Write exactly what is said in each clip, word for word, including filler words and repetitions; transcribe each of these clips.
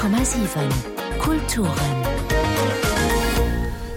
Honnert Komma siwen Kulturen.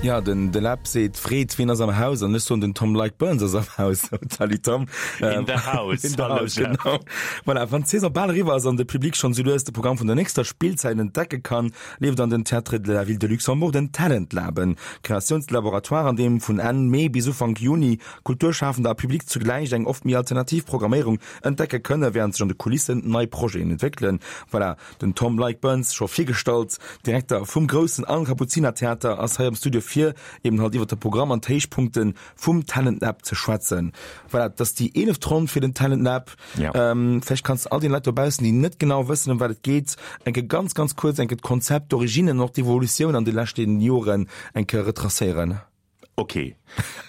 Ja, den de Läb seet, freet, wien ass am Haus? An ech soen, den Tom Like Burns ass am Haus. Salut Tom. In the house. In the Hallo house, Jeff. genau. Voilà, wann d'Saison bal eriwwer ass an de Public schonn sou lues de Programm vun der nächster Spillzäit entdecke kann, leeft an den Théâtres de la Ville de Luxembourg den Talent Lab, en Kreatiounslaboratoire, an deem vun Enn Mee bis Ufank Juni Kulturschafender a Public zugläich eng oft méi alternativ Programméierung entdecke kënne, wärend sech an de Kulissen nei Projeten entwéckelen. Voilà, den Tom Like Burns, scho virgestallt, Direkter vum groussen an Kapuzinertheater, ass hei am Studio fir eben halt iwwer de Programm an d'Héichpunkte vum Talent Lab ze schwätzen. Voilà, et ass déi eeleft Ronn fir den Talent Lab. Ja. Ähm, vläicht kanns de all den Leit dobaussen, déi net genau wëssen, ëm wat et geet, eng Kéier ganz, ganz kuerz eng Kéier d'Konzept, d'Originen an och d'Evolutioun an de leschte Joren eng Kéier retracéieren. Ok.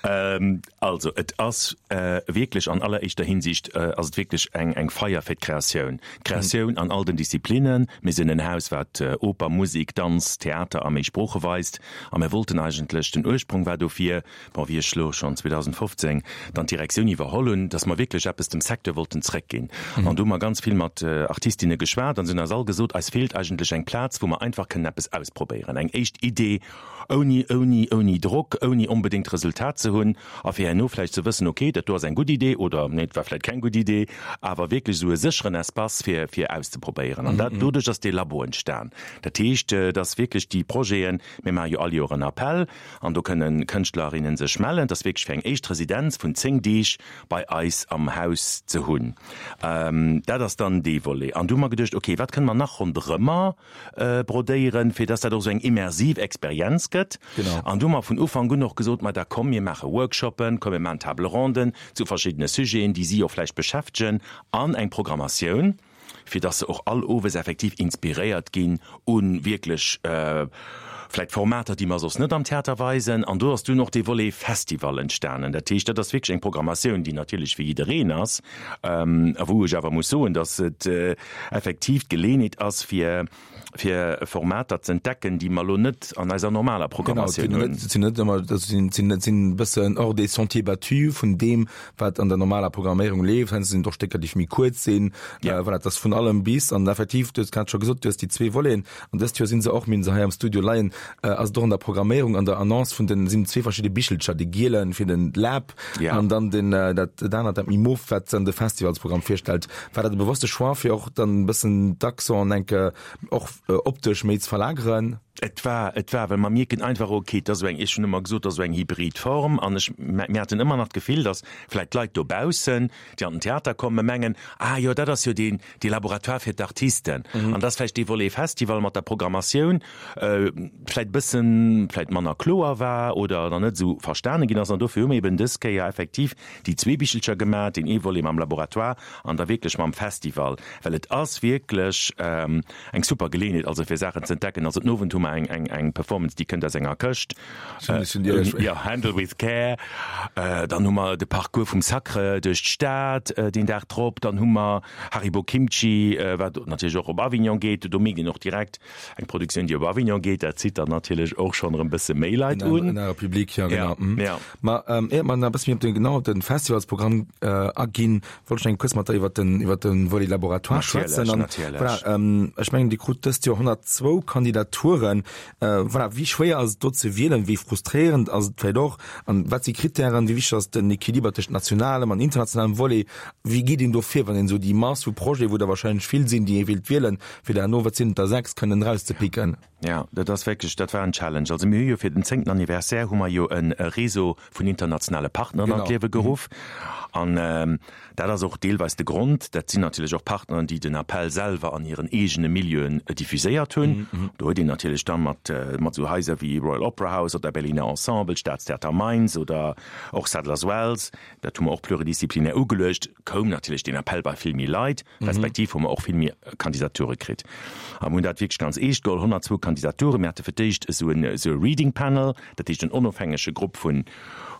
Ähm, also, et ass äh, wierklech an alleréischter Hinsicht äh, ass et wierklech eng, eng Feier fir d'Kreatioun. D'Kreatioun an all den Disziplinnen. Mir sinn en Haus, wat äh, Oper, Musek, Danz, Theater a méi Sprooche weist. A mir wollten eigentlech, den Ursprong war dofir, bon, wéi ech lo schonn zweedausendfofzéng dann d'Direktioun iwwerholl hunn, dass mer wierklech eppes dem Secteur wollten zréckginn. An do hu mer ganz vill mat äh, Artistinne geschwat an se hunn eis all gesot, eis feelt eigentlech eng Plaz, wou mer einfach kënnen eppes ausprobéieren. Eng éischt Idee, ouni, ouni, ouni Drock, ouni onbedéngt Resultat ze hunn a fir herno vläicht ze wëssen, okay, dat do ass eng gutt Idee oder nee, dat war vläicht keng gutt Idee, awer wierklech esou e sécheren Espace fir, fir auszeprobéieren. An dat, doduerch ass dee Labo entstan. Dat heescht, dass wierklech déi Projeten, mir maache jo all Joer en Appell an do kënnen Kënschtlerinnen sech mellen, dass wierklech fir eng éischt Residenz vun zéng Deeg bei eis am Haus ze hunn. Dat ass dann dee Volet. An du hu mer geduecht, okay, wat kënne mer nach ronderëmmer brodéieren, fir dass dat och esou eng immersiv Experienz gëtt. Genau. An du hu mer vun Ufank un och gesot, ma da komm, mir maache Workshoppen, komm, mir maachen Table ronden zu verschiddene Sujeten, déi si och vläicht beschäftegen, an eng Programmatioun, fir dass se och all Owes effektiv inspiréiert ginn u wierklech vläicht Formater, déi mer soss net am Theater weisen. An do ass dunn och dee Volet Festival entstanen. Dat heescht, dat ass wierklech eng Programmatioun, déi natierlech fir jiddereen ass, a wou ech awer muss soen, dass et effektiv d'Geleeënheet ass, fir fir Formater ze entdecken, déi mer elo net an eiser normaler Programmatioun hunn. Genau, sinn net ëmmer, dat sinn, sinn, sinn e bëssen hors des sentiers battus vun deem, wat an der normaler Programméierung leeft. Heiansdo sinn et och Stécker, déi méi kuerz sinn. Ja. Voilà, et ass vun allem bis. An effektiv, du hues grad scho gesot, du hues déi zwee Voleten. An dëst Joer si se och, mir hunn se hei am Studio leien, ass et och an der Programméierung, an der Annonce vun den, sinn zwee verschidde Bichelcher, dee gielen fir den Lab Ja. an dann den, dat, dat anert, dat méi mof, wat dann de Festivalsprogramm virstellt. War dat e bewosste Choix, fir och dann e bëssen d'Accenten enke och optesch méi ze verlageren? Et war, et war, well mer mierken einfach, okay, et ass esou eng, ech hunn ëmmer gesot, et ass esou eng hybrid Form an ech, mir haten ëmmer nach d'Gefill, datt vläicht d'Leit dobaussen, déi an den Theater kommen, mengen, ah jo, dat ass jo deen, dee Laboratoire fir d'Artisten. An dass vläicht dee Volet Festival mat der Programmatioun vläicht e bëssen vläicht manner kloer war oder dann net esou verstane ginn ass. An dofir hu mir eben dës Kéier effektiv déi zwee Bichelcher gemaach, deen ee Volet mam Laboratoire an da wierklech mam Festival, well et ass wierklech eng super Geleeënheet, also fir Saachen ze entdecken. Also den Owend hu mer eng, eng, eng Performance, déi kënnt aus enger Këscht. Jo, Handle with Care. Dann hu mer de Parcours vum Sacre duerch d'Stad deen Dag drop. Dann hu mer Haribo Kimchi, wat natierlech och op Avignon geet. Do mierkt een och direkt, eng Produktioun, déi op Avignon geet, dat zitt dann natierlech och schonn erëm bësse méi Leit un. En anere Public, jo, genau. Ja, ja. Ma éiert mer nach e bësse méi op den, genau op de Festivalsprogramm aginn, wollt ech eng kuerz mat der iwwert den, iwwert de Volet Laboratoire schwätzen. Natierlech, natierlech. Voilà, ech mengen, Dir krut dëst Joer honnertzwou Kandidaturen. Voilà, wéi schwéier ass et do ze wielen? Wéi frustréierend ass et vläicht och? An wat si Krittären? Wéi wichteg ass den Equiliber tëscht nationalem an internationalem Volet? Wéi geet een do vir, wann een esou déi Mass vu Projeten, wou der wahrscheinlech vill sinn, déi ee wéilt wielen, fir der herno, wat sinn et der, sechs kënnen erauszepicken? Jo, dat ass wierklech, dat war en Challenge. Also mir hu jo fir den zéngten Anniversaire hu mer jo e Réseau vun internationale Partneren an d'Liewe geruff. An dat ass och deelweis de Grond. Dat sinn natierlech och Partneren, déi den Appell selwer an hiren eegene Milieuen diffuséiert hunn. Do huet een natierlech da mat mat esou Haiser wéi Royal Opera House oder Berliner Ensemble, Staatstheater Mainz oder och Sadler's Wells, dat hu mer och pluridisziplinär ugeluecht, koum natierlech deen Appell bei vill méi Leit, respektiv hu mer och vill méi Kandidature kritt. A mir hunn dat wierklech ganz eescht geholl, honnertzwou Kandidaturen. Mir hate fir d'éischt esou en esou e Reading Panel, dat heescht en onofhängege Grupp vun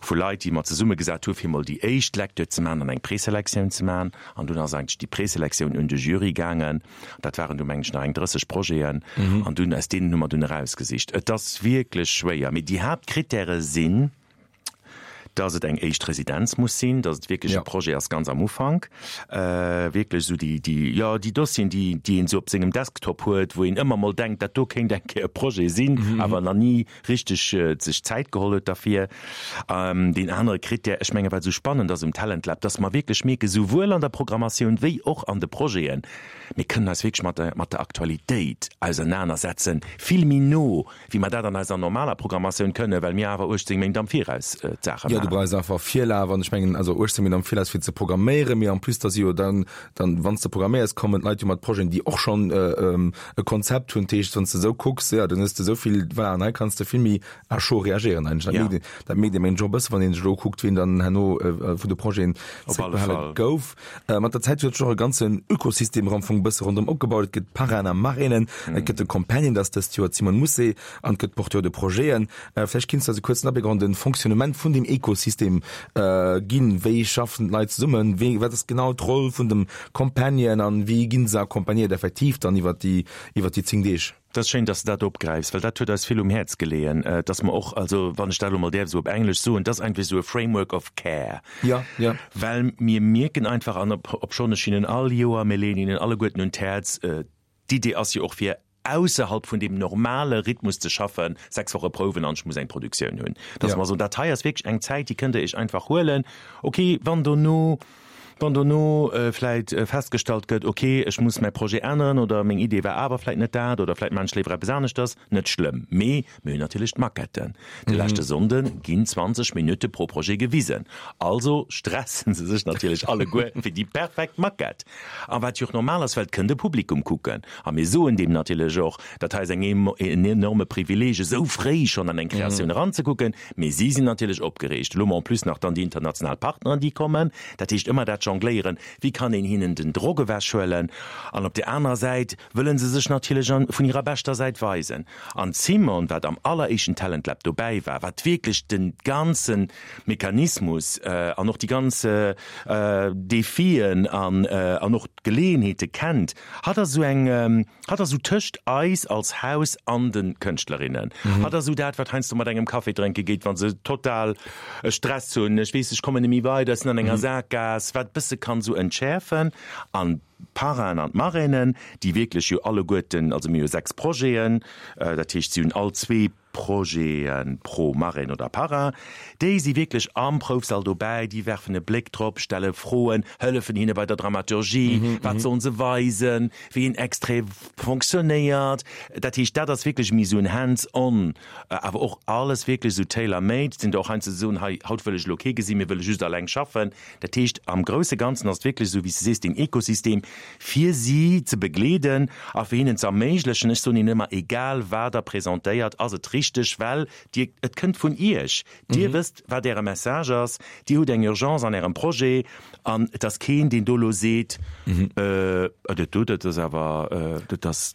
vu Leit, déi mer zesummegesat hu fir emol déi éischt Lecture ze maachen an eng Preselektioun ze maachen. An dunn ass eigentlech déi Preselektioun un de Jury gaangen. Dat waren du mengen ech nach eng drësseg Projeten. An dunn aus deenen hu mer dunn erausgesicht. Et ass wierklech schwéier, mee déi Haaptkrittäre sinn, Dass et eng éischt Residenz muss sinn, dass et wierklech Ja. e Projet ass ganz am Ufank, wierklech esou déi, déi, jo, déi Dossieren, déi, déi een esou op sengem Desktop huet, wou een ëmmer mol denkt, dat do kéint eng Kéier e Projet sinn, awer nach ni richteg sech Zäit geholl huet derfir. Deen anere Krittär, ech menge wat esou spannend ass um Talent Lab, dass mer wierklech mierken, souwuel an der Programmatioun wéi och an de Projeten, mir kënnen eis wierklech mat der, mat der Aktualitéit ausernanersetzen, vill méi no, wéi mer dat an eiser normaler Programmatioun kënnen, well mir awer uechtzéng Méint am Viraus d'Saache Jo, du maachen. brauchs einfach Virlaf an ech mengen, also uechtzéng Méint am Viraus fir ze programméieren, mee en plus da si jo dann, dann wann s de programméiers, kommen d'Leit jo mat Projeten, déi och schonn e Konzept hunn. Dat heescht, wann s de esou kucks, jo, dann hues de esou vill, voilà, an hei kanns de vill méi à chaud reagéieren eigentlech. Dat Ja. mierkt een, dat mierkt ee mengen ech och e bësse wann een sech elo kuckt, wien dann herno vun de Projeten Op alle zréckbehale Fall. gouf. Mat der Zäit huet sech och e ganzen Ökosystem am Fong e bësse ronderëm opgebaut. Et gëtt Parrainen a Marrainen, et gëtt de Companion, dat ass dëst Joer d'Simone Mousset, an et gëtt Porteur de projeten. Vläicht kinns de eis e kuerzen Abléck och an de Fonctionnement vun deem Ökosystem ginn. Wéi schaffen d'Leit zesummen? Wéi, wat ass genau d'Roll vun dem Companion an wéi ginn se accompagnéiert effektiv dann iwwer déi, iwwer déi zéng Deeg? Dat ass schéin, dass de dat opgräifs, well dat huet eis vill um Häerz geleeën, dass mer och, also wann ech dat elo mol däerf esou op Englesch soen, dat ass einfach esou e Framework of care. Ja, ja. Well mir mierken einfach, an obschonn ech hinnen all Joer, mir leeën hinnen alleguerten un d'Häerz, d'Idee ass jo och fir ausserhalb vun deem normale Rhythmus ze schaffen, sechs Woche Prouwen an ech muss eng Produktioun hunn, dass Ja. mer soen, dat hei ass wierklech eng Zäit, déi kënnt Der Iech einfach huelen. Okay, wann dono, wann dono vläit festgestallt gëtt, okay, ech muss mäi Projet änneren oder meng Idee war awer vläit net dat oder vläit maan ech léiwer eppes aneschters, net schlëmm. Mee mir hunn natierlech d'Maquetten. De leschte Sonnde ginn zwanzeg Minutte pro Projet gewisen. Also stressen se sech natierlech alleguer fir déi perfekt Maquette. A wat jo och normal ass, well et kënnt e Publikum kucken. A mir soen deem natierlech och, dat hei ass eng en enorme Privileeg, esou fréi schonn an eng Kreatioun eranzekucken. Mee si sinn natierlech opgereegt. Elo hu mer en plus nach dann déi international Partneren, déi kommen. Dat heescht ëmmer dat Jongléieren, wéi kann een hinnen den Drock ewechhuelen? An op där anerer Säit wëlle se sech natierlech vun hirer beschter Säit weisen. An d'Simone, wat am alleréischten Talent Lab dobäi war, wat wierklech de ganze Mechanismus an och déi ganz Defien an an och d'Geleeënheete kennt, hatt ass esou eng, hatt ass esou tëscht eis als Haus an de Kënschtlerinnen. Hatt ass esou dat, wat heiansdo mat engem Café drénke geet, wa se total Stress hunn, ech weess, ech kommen net méi weider, ech sinn an enger Sakgaass, wat bësse kann esou entschäerfen. An d'Parrainen an d'Marrainen, déi wierklech jo alleguerten, also mir hu sechs Projeten, dat heescht, si hunn all zwee Projete pro Marraine oder Parrain, déi si wierklech am Proufsall dobäi, déi werfen e Bléck drop, stelle Froen, hëllefen hinne bei der Dramaturgie, wat sollen se weisen, wéi een Extrait fonctionnéiert. Dat heescht, dat ass wierklech méi esou en Hands-on, awer och alles wierklech esou tailor-made. Et sinn der och heiansdo, déi soen, hei, haut wëll ech elo kee gesinn, mir wëlle just alleng schaffen. Dat heescht, am grousse Ganzen ass et wierklech esou, wéi s de sees, deen Ekosystem, fir si ze begleeden a fir hinnen ze erméiglechen, ech soen hinnen ëmmer, egal wat Der presentéiert, ass et richteg, well Dir, et kënnt vun Iech, Dir wësst, wat Äre Message ass, Dir hutt eng Urgence an Ärem Projet an et ass keen, deen do elo seet, dat do, dat ass awer, dat ass,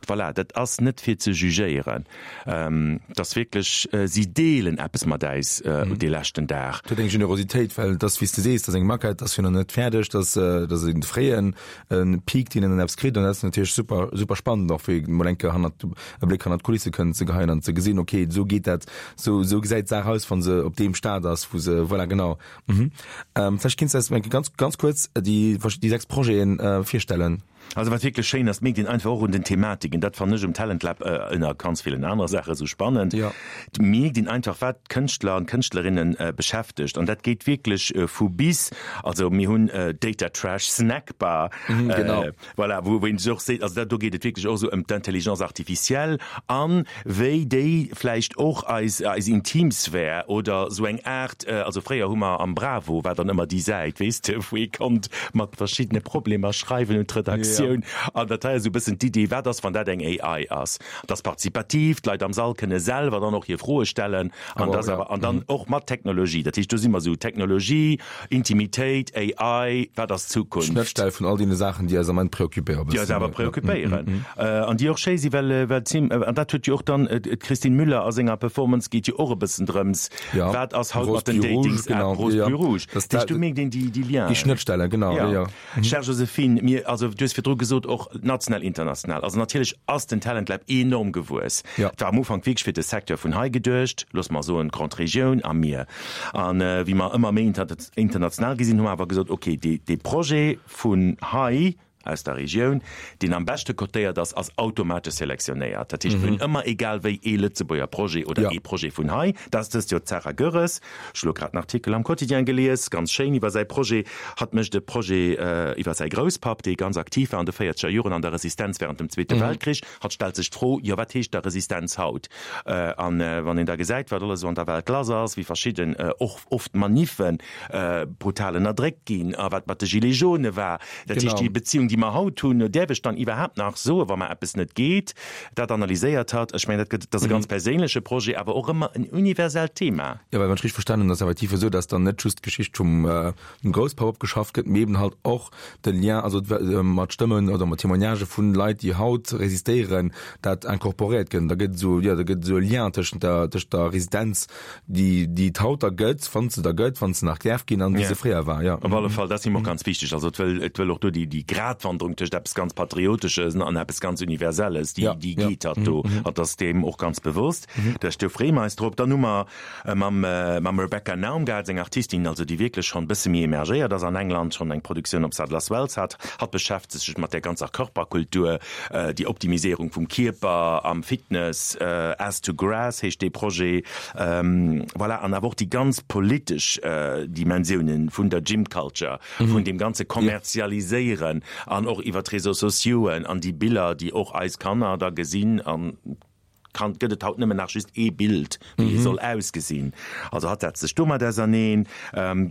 voilà, dat ass net fir ze jugéieren. Et ass wierklech, si deelen eppes mat äis dee leschten Dag. Et huet eng Generositéit, well et ass, wéi s de sees, et ass eng Maquette, et ass jo nach net fäerdeg, et ass, et ass e fréien Peek, deen een dann eppes kritt an dat ass natierlech super, super spannend och, fir emol eng Kéier hannert, e Bléck hannert d'Kulisse kënnen ze geheien an ze gesinn, okay, esou geet dat, esou, esou gesäit d'Saach aus, wa se op deem Stade ass, wou se, voilà, genau. Vläicht kinns de eis eng Kéier ganz, ganz kuerz déi, déi sechs Projeten virstellen. Also wat wierklech schéin ass, mierkt een einfach och un den Thematiken, dat fannen ech um Talent Lab ënner ganz villen anere Saache sou spannend, et mierkt een einfach wat d'Kënschtler an d'Kënschtlerinne beschäftegt an dat geet wierklech vu bis, also mir hunn Data Trash Snack Bar, voilà, wou een sech och seet, also dat do geet et wierklech och esou ëm d'Intelligence artificielle an wéi déi vläicht och eis eis Intimsphär oder sou eng Aart, also fréier hu mer am Bravo war dann ëmmer déi Säit, weess de, wou ee konnt mat verschiddene Problemer schreiwen un d'Redaktioun. An dat hei ass esou e bëssen d'Idee, wat ass, wann dat eng A I ass? Et ass partizipativ, d'Leit am Sall kënne selwer dann och hir Froe stellen an dat ass awer, an dann och mat Technologie. Dat heescht, do si mer esou Technologie, Intimitéit, A I, wat ass d'Zukunft? D'Schnëttstell vun all deene Saachen, déi eis am Ament preoccupéieren. Déi eis awer preoccupéieren an déi och schéi si, well, well d'Sim, an dat huet jo och dann d'Christine Müller a senger Performance, geet jo och e bëssen drëms, wat ass haut mat den Datings-App, Rose Bleu Rouge. Dat heescht, do mierkt een déi, déi Lienen. Déi Schnëttstellen, genau, jo, jo. Chère Joséphine, mir, also du hues virdru virdru gesot, och national, international. Also natierlech ass den Talent Lab enorm gewuess. Ja. Et war am Ufank wierklech fir de Secteur vun hei geduecht, loosse mer soen d'Grande Regioun a mir. An wéi mer ëmmer méi international gi sinn, hu mer awer gesot, okay, dee, dee Projet vun hei, aus der Regioun, deen am beschte cotéiert ass, ass automatesch selektionéiert. Dat heescht, mir hunn ëmmer egal wéi ee Lëtzebuerger Projet oder ee Projet vun hei. Dat ass dëst Joer d'Sarah Goeres. Ech hu lo grad en Artikel am Quotidien gelies, ganz schéin iwwer säi Projet. Hatt mécht e Projet iwwer säi Grousspapp, dee ganz aktiv war an de véierzeger Joren an der Resistenz wärend dem Zweete Weltkrich. Hatt stellt sech d'Fro, jo wat heescht da Resistenz haut? An wann een da gesäit, wat alles esou an der Welt lass ass, wéi verschidden, och oft Maniffen brutal ënnerdréckt ginn a wat mat de Gilets jaunes war, dat heescht déi Beziung, déi mer haut hunn, däerf ech dann iwwerhaapt nach soen, wa mer eppes net geet? Dat analyséiert hatt. Ech mengen, dat gëtt, dat ass e ganz perséinleche Projet, awer och ëmmer en universellt Thema. Jo, well wann ech richteg verstanen hunn, ass effektiv esou, dass dann net just d'Geschicht vum Grousspapp opgeschafft gëtt, mee eben halt och de Lien, also mat Stëmmen oder mat Témoignagë vun Leit, déi haut resistéieren, dat incorporéiert gëtt. Da gëtt esou, jo, da gëtt esou e Lien tëschent der, tëschent der Resistenz, déi, déi et haut da gëtt, wann se da gëtt, wann se nach däerf ginn, an wéi se fréier war, jo. Op alle Fall, dat ass him och ganz wichteg. Also et wëll, et wëll och do déi, déi Gratwanderung tëscht eppes ganz Patriotesches an eppes ganz Universelles, déi, déi geet hatt do. Hatt ass deem och ganz bewosst. Dat do freeë mer eis drop. Dann hu mer mam, mam Rebecca Naumgard, eng Artistin, also déi wierklech schonn e bësse méi emergéiert ass an England, schonn eng Produktioun op Sadler's Wells hat. Hatt beschäftegt sech mat där ganzer Körperkultur, déi Optimiséierung vum Kierper am Fitness, Ass to Grass heescht dee Projet. Voilà, an awer och déi ganz politesch Dimensiounen vun der Gym Culture, vun deem ganze Kommerzialiséieren an och iwwer d'Réseaux sociauxen an déi Biller, déi och eis Kanner da gesinn an kann, gëtt et haut nëmmen nach just ee Bild, wéi ee soll ausgesinn. Also hatt setzt sech domat auserneen.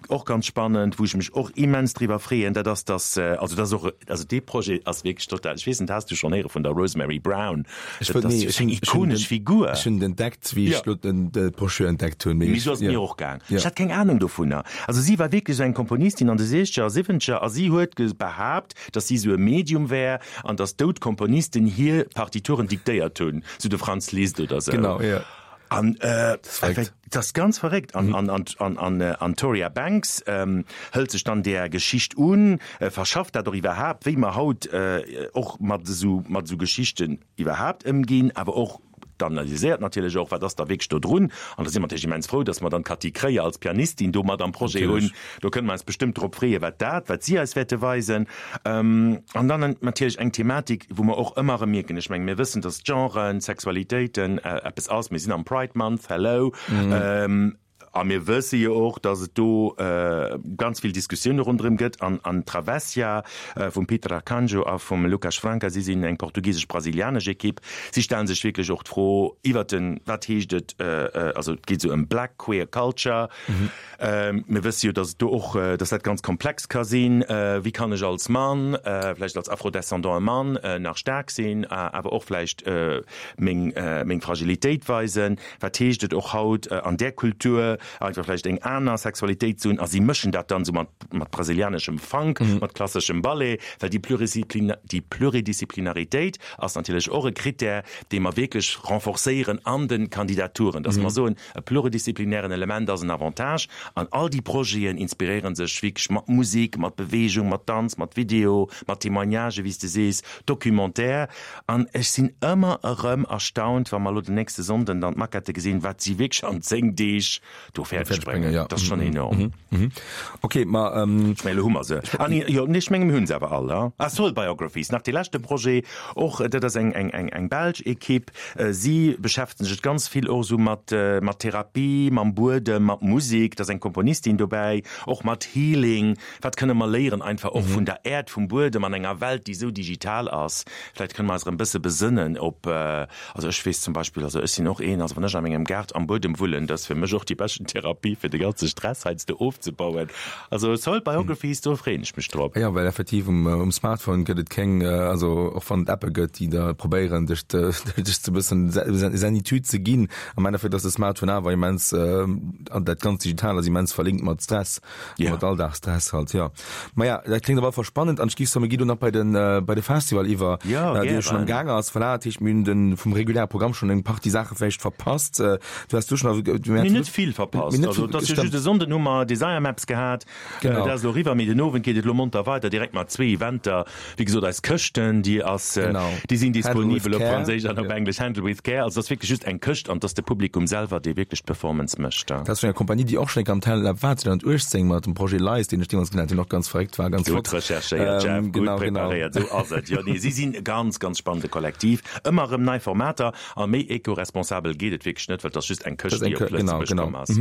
Och ganz spannend, wou ech mech och immens driwwer freeën, dat ass, dass, also dat ass och, also dee Projet ass wierklech total, ech weess net, has du schonn héiere vun der Rosemary Brown? Ech Dat wëll, ass nee, ech eng hunn, ech hunn ikonesch den, Figur. ech hunn et entdeckt, wéi Ja. ech lo den, d'Brochure entdeckt hunn, mee Mee ech, sou ass et ja. mir och gaang. Ja. Ech hat keng Ahnung dovunner. Also si war wierklech esou eng Komponistin an de siechzeger a siwwenzeger a si huet behaapt, dass si esou e Medium wär an dass dout Komponisten hir Partituren diktéiert hunn, sou de Franz Liszt oder sou. Genau, ja. An äh, verréckt. dat ass ganz verréckt. An, an, an, an, an, äh, an Toria Banks ähm, hëlt sech dann där Geschicht un, äh, verschafft dat och iwwerhaapt, wéi mer haut äh, och mat esou, mat esou Geschichten iwwerhaapt ëmginn, awer och d'analyséiert natierlech och, wat ass da wierklech do drun. An da si mer natierlech immens frou, dass mer dann d'Cathy Kreyer als Pianistin do mat am Projet hunn. Do kënne mer eis bestëmmt drop freeën, wat dat, wat si eis wäerte weisen. An dann natierlech eng Thematik, wou mer och ëmmer erëm mierken, ech menge mir wëssen, dass Genren, Sexualitéiten eppes ass, mir sinn am Pride Month, hello, A mir wësse jo och, datt et do ganz vill Diskussioune ronderëm gëtt. An an Travessia vum Peter Arcanjo a vum Lucas Franca, si sinn eng portugisesch-brasilianesch Ekipp, si stelle sech wierklech och d'Fro iwwert den, wat heescht et, also et geet esou ëm Black Queer Culture. Mir wësse jo, datt et do och, datt dat ganz komplex ka sinn. Wéi kann ech als Mann, vläicht als afrodescendante Mann nach staark sinn, awer och vläicht meng meng Fragilitéit weisen? Wat heescht et och haut an där Kultur einfach vläicht eng aner Sexualitéit ze hunn? A si mëschen dat dann esou mat mat brasilianeschem Funk, mat klasseschem Ballet, well déi Pluriziplin déi Pluridisciplinaritéit ass natierlech och e Krittär, dee mer wierklech renforcéieren an de Kandidaturen, dass mer soen, e pluridisziplinären Element ass en Avantage. An all déi Projeten inspiréiere sech wierklech mat Musek, mat Beweegung, mat Danz, mat Video, mat Témoignagen, wéi s de sees, Documentaire. An ech sinn ëmmer erëm erstaunt, wa mer elo den nächste Sonnden dann d'Maquette gesinn, wat si wierklech an zéng Deeg do fäerdeg bréngen. Dat ass schonn enorm. Ok, ma. Ech mengen, elo hu mer se. Ah nee, jo, nee, ech menge mir hu se awer all. Ah, Soul Biographies, nach dee leschte Projet och, dat ass eng, eng, eng, eng belsch Ekipp. Si beschäftegen sech ganz vill och esou mat, mat Therapie, mam Buedem, mat Musek. Da ass eng Komponistin dobäi, och mat Healing. Wat kënne mer léieren einfach och vun der Äerd, vum Buedem an enger Welt, déi esou digital ass? Vläicht kënne mer eis erëm e bësse besënnen op, also ech weess zum Beispill, also ech sinn och een, also wann ech a mengem Gaart am Buedem wullen, dat ass fir mech och déi beschten Therapie, fir de ganze Stress heiansdo ofzebauen. Also Soul Biographies, do freeën ech mech drop. Jo, well effektiv um, um Smartphone gëtt et keng, also och wann et Appe gëtt, déi da probéieren, dech, dech ze bëssen Zenitude ze ginn, am Endeffekt ass de Smartphone awer immens, an dat ganz Digital ass immens verlinkt mat Stress, Ja. mat Alldagsstress halt, jo. Maja, dat kléngt op alle Fall spannend an ech géif soen, mir gi do nach bei den, bei de Festival iwwer, Ja, dee jo schonn am gären. Gaang ass. Voilà, dat heescht, mir hunn den, vum reguläre Programm schonn eng Partie Saache vläicht verpasst. Du has du schonn, Mir hunn net vill verpasst. verpasst. Also dat ass jo just e Sonnden hu mer Desire Maps gehat. Genau. Dat ass elo eriwwer, mee den Owend geet et elo monter weider, direkt mat zwee Eventer. Wéi gesot, eis Këschten, déi ass, Genau. déi sinn Handle with disponibel op care. Franséisch an op Englesch, Handle with Care. Also dat ass wierklech just eng Këscht an et ass de Publikum selwer, dee wierklech d'Performance mécht. Dat ass vun enger Kompanie, déi och schonn eng Kéier am Talent Lab war, zweedausendachtzéng mat dem Projet Lies, deen ech deemools genannt hunn, och ganz verréckt war, ganz Gutt flott. recherchéiert, Jeff, Ähm, gutt genau, genau. preparéiert, esou ass et. Jo, nee, si sinn e ganz, ganz spannende Kollektiv. Ëmmer erëm nei Formater a méi eco-responsabel geet et wierklech net, well et ass just eng Këscht, déi op Lëtzebuerg komm ass.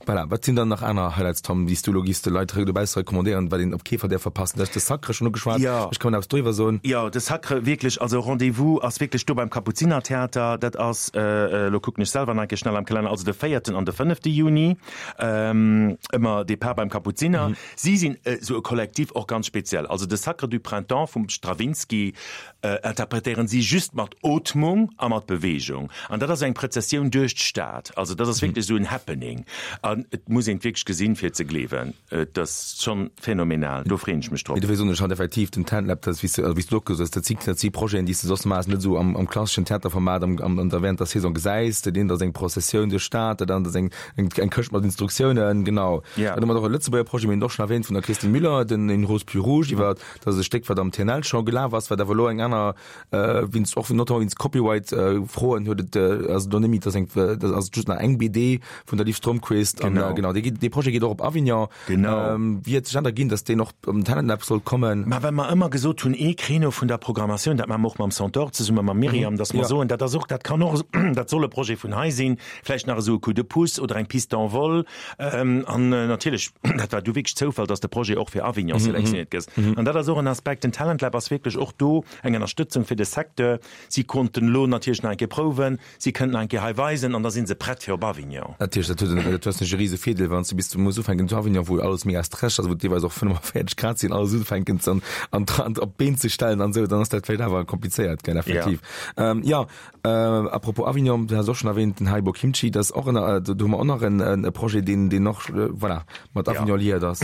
Voilà, wat sinn dann nach aner Highlights, Tom, déi s du elo giffs de Leit dobausse recommandéieren, wat een op kee Fall däerf verpassen? Du hues de Sacre schonn ugeschwat, ech kann eppes doriwwer soen. Jo, de Sacre, wierklech, also Rendez-vous ass wierklech do beim Kapuzinertheater, dat ass, elo kucken ech selwer nach eng Kéier schnell am Kalenner, also de véierten an de fënnefte Juni, ëmmer Depart beim Kapuziner. Si sinn esou e Kollektiv, och ganz speziell, also de Sacre du Printemps vum Stravinsky, interpretéieren si just mat Ootmung a mat Beweegung. An dat ass eng Prëzessioun duerch d'Stad. Also dat ass wierklech esou en Happening. An et muss een et wierklech gesinn, fir et ze gleewen. Et ass schonn phänomenal. Do freeën ech mech drop. Mee dofir soen ech halt effektiv, den Talent Lab, dat ass, wéi s de, wéi s du och gesot hues, dat si, dat si Projeten, déi s de soss normalerweis net esou am, am klasseschen Theaterformat am, am, an der, während der Saison gesäis. Dat eent ass eng Prozessioun duerch d'Stad, dat anert ass eng, eng, eng Këscht mat Instruktiounen. Genau. Ja. Dann hu mer och e Lëtzebuerger Projet, mir hunn et och schonn erwähnt, vun der Christine Müller, den Une rose plus rouge, iwwer, dat ass e Stéck, wat am T N L scho gelaf ass, wat awer elo eng aner, wéinst och notamment wéinst Copyright Froen huet et ass et elo net méi, dass eng dat ass just nach eng B D vun der Liv Strömquist an Genau. genau dee geet dee Projet geet och op Avignon. Genau. Wéi huet sech dat erginn, dass deen och am Talent Lab sollt kommen? Ma well mer ëmmer gesot hunn, ee Créneau vun der Programmatioun, dat maache mer och mam Centaure zesumme mam Myriam, dass mer Ja. soen, dat ass och, dat kann och, dat soll e Projet vun hei sinn, vläicht nach esou e Coup de pouce oder eng Piste d'envol. An natierlech, dat war du wierklech Zoufall, dass de Projet och fir Avignon selektioniert gëss. An dat ass och en Aspekt, den Talent Lab ass wierklech och do eng Ënnerstëtzung fir de Secteur. Si konnten elo natierlech nach eng Kéier prouwen, si kënnten nach eng Kéier hei weisen an da si se prett fir op Avignon. Natierlech, dat huet en, dat hues e rise Virdeel, wann s de bis du muss ufänken zu Avignon, wou alles mega stresseg ass, wou et deelweis och fënnefaféierzeg Grad sinn, alles ufänken ze an an an op d'Been ze stellen an esou, dann ass dat vläicht awer komplizéiert, gell, effektiv. Jo, à propos Avignon, du has och schonn erwähnt, den Haribo Kimchi, dat ass och en, do hu mer och nach en e Projet, deen deen och, voilà, mat Avignon liiert ass.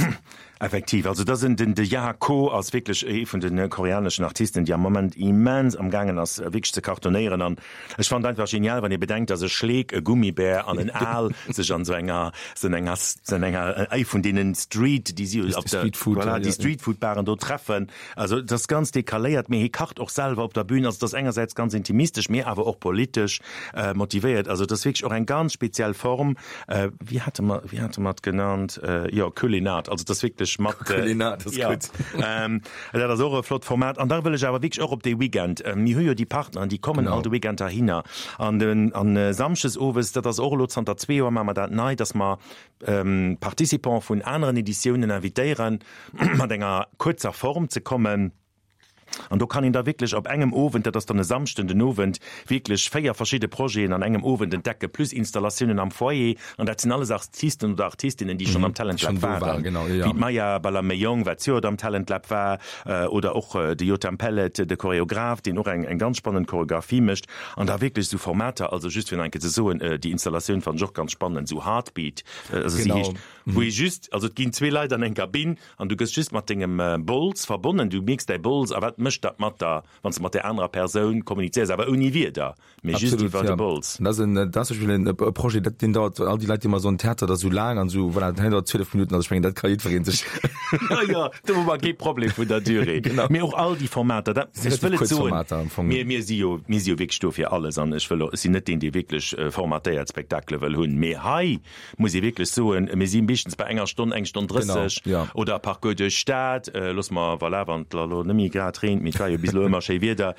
Effektiv, also dat ass den de Jaha Ko ass wierklech ee vun de koreaneschen Artisten, déi am Moment immens am gaangen ass wierklech ze cartonéieren. An ech fannen et einfach genial, wann ee bedenkt, datt e Schleek, e Gummibär an en Aal sech an esou enger, esou enger, esou enger, ee vun deenen Street, déi si op der, voilà, déi Streetfood-Baren do treffen. Also et ass ganz decaléiert, mee hie kacht och selwer op der Bühn. Also et ass engersäits ganz intimistesch, mee awer och politesch motivéiert. Also et ass wierklech och eng ganz speziell Form. Wéi hate mer, wéi hate mer et genannt? Jo, Culinat. Also et ass wierklech mat. Culinat ass gutt. Dat ass och e flott Format. An da wëll ech awer wierklech och op dee Weekend, mir hu jo déi Partneren, déi kommen all de Weekend heihinner. An den, an samschdes owes, dat ass och elo zanter zwee Joer maache mer dat nei, dass mer Participants vun aneren Editiounen invitéieren, mat enger kuerzer Form ze kommen. An do kann een da wierklech op engem Owend, dat ass dann e Samschden den Owend, wierklech véier verschidde Projeten an engem Owend entdecken, plus Installatiounen am Foyer. An dat sinn alles Artisten oder Artistinnen, déi schonn am Talent Lab waren, wéi d'Maya Balameyong, wat zejoert am Talent Lab war, oder och de Yotam Pellet, de Choreograph, deen och eng ganz spannend Choreographie mécht. An da wierklech esou Formater, also just fir nach eng Kéier ze soen, déi Installatioun fannen ech och ganz spannend, esou Heartbeat, also si heescht, wou ee just, also et ginn zwee Leit an eng Kabinn an du gëss just mat dengem Bols verbonnen, du mierks däi Bols a wat mécht dat mat der, wann s de mat där anerer Persoun kommunizéiers, awer ouni Wierder, mee just Absolut, iwwer ja. de Bols. Dat ass en, dat ass zum Beispill en e Projet, dat deen dauert, all déi Leit, déi ëmmer soen, Theater, dat ass esou laang an esou, voilà, dat dauert zwielef Minutten, also ech mengen, dat ka jiddweree sech. Jo, jo, do hu mer kee Problem vun der Durée. Genau. Mee och all déi Formater, dat, Si ech relativ wëll et kuerz soen, Formater am Fong. mir, mir si jo, mir si jo wierklech do fir alles an ech wëll och, ech sinn net deen, dee wierklech formatéiert Spektakele wëll hunn, mee hei muss ee wierklech soen, mir si meeschtens bei enger Stonn, eng Stonn drësseg Genau, ja. oder Parcours duerch d'Stad, loosse mer, voilà, wann et elo net méi grad reent, mee et war jo bis elo ëmmer schéi Wieder.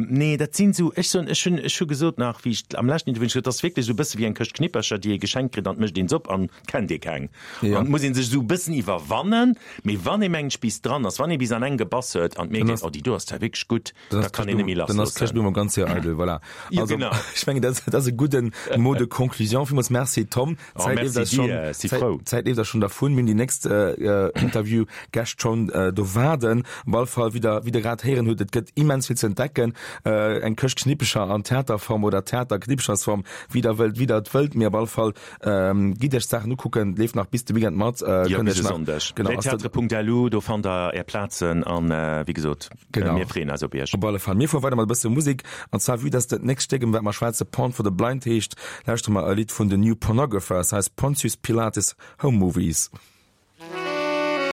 Nee, dat sinn esou, ech soen, ech hunn, ech hu gesot nach, wéi ech am leschten Interview hunn ech gesot, dat ass wierklech esou e bësse wéi eng Këscht Knippercher, déi ee geschenkt kritt an et mécht een se op an et kennt ee keng. Ja. An et muss ee sech esou e bëssen iwwerwannen, mee wann ee mengt bis dran ass, wann ee bis an eng gebass huet an et mierkt een, oh déi do ass zwar wierklech gutt, Dann da ass kann een net méi d'Këscht dann ass d'Këscht lassloossen. Blumm ganz séier eidel, voilà. Jo, Also, genau. ech mengen, dat ass e gudden Mot de conclusion. Villmools Merci, Tom. Oh, D'Zäit leeft merci eis schonn, dir, si d'Zäit, frou. d'Zäit leeft eis schonn dervun. Mir hunn déi nächst äh, Interviewgäscht schonn äh, do waarden. Op alle Fall, wéi der, wéi der grad grad héieren hutt, et gëtt immens vill ze entdecken, eng Këscht Knippecher an Theaterform oder Theater-Knippechersform, wéi der wëllt, wéi der et wëllt, mee op alle Fall gitt iech d'Saachen ukucken, leeft nach bis de Weekend mat. Jo, bis e Sonndeg. Lestheatres.lu, do fannt der är Plazen an wéi gesot, mir freeën eis op iech. Op alle Fall. Mir fuere weider mat e bësse Musek, an zwar vue dass dat nächst Stéck, ëm wat mer schwätze, Porn for the Blind heescht, lauschtere mer e Lidd vun den New Pornographers, heißt Pontius Pilates Home Movies.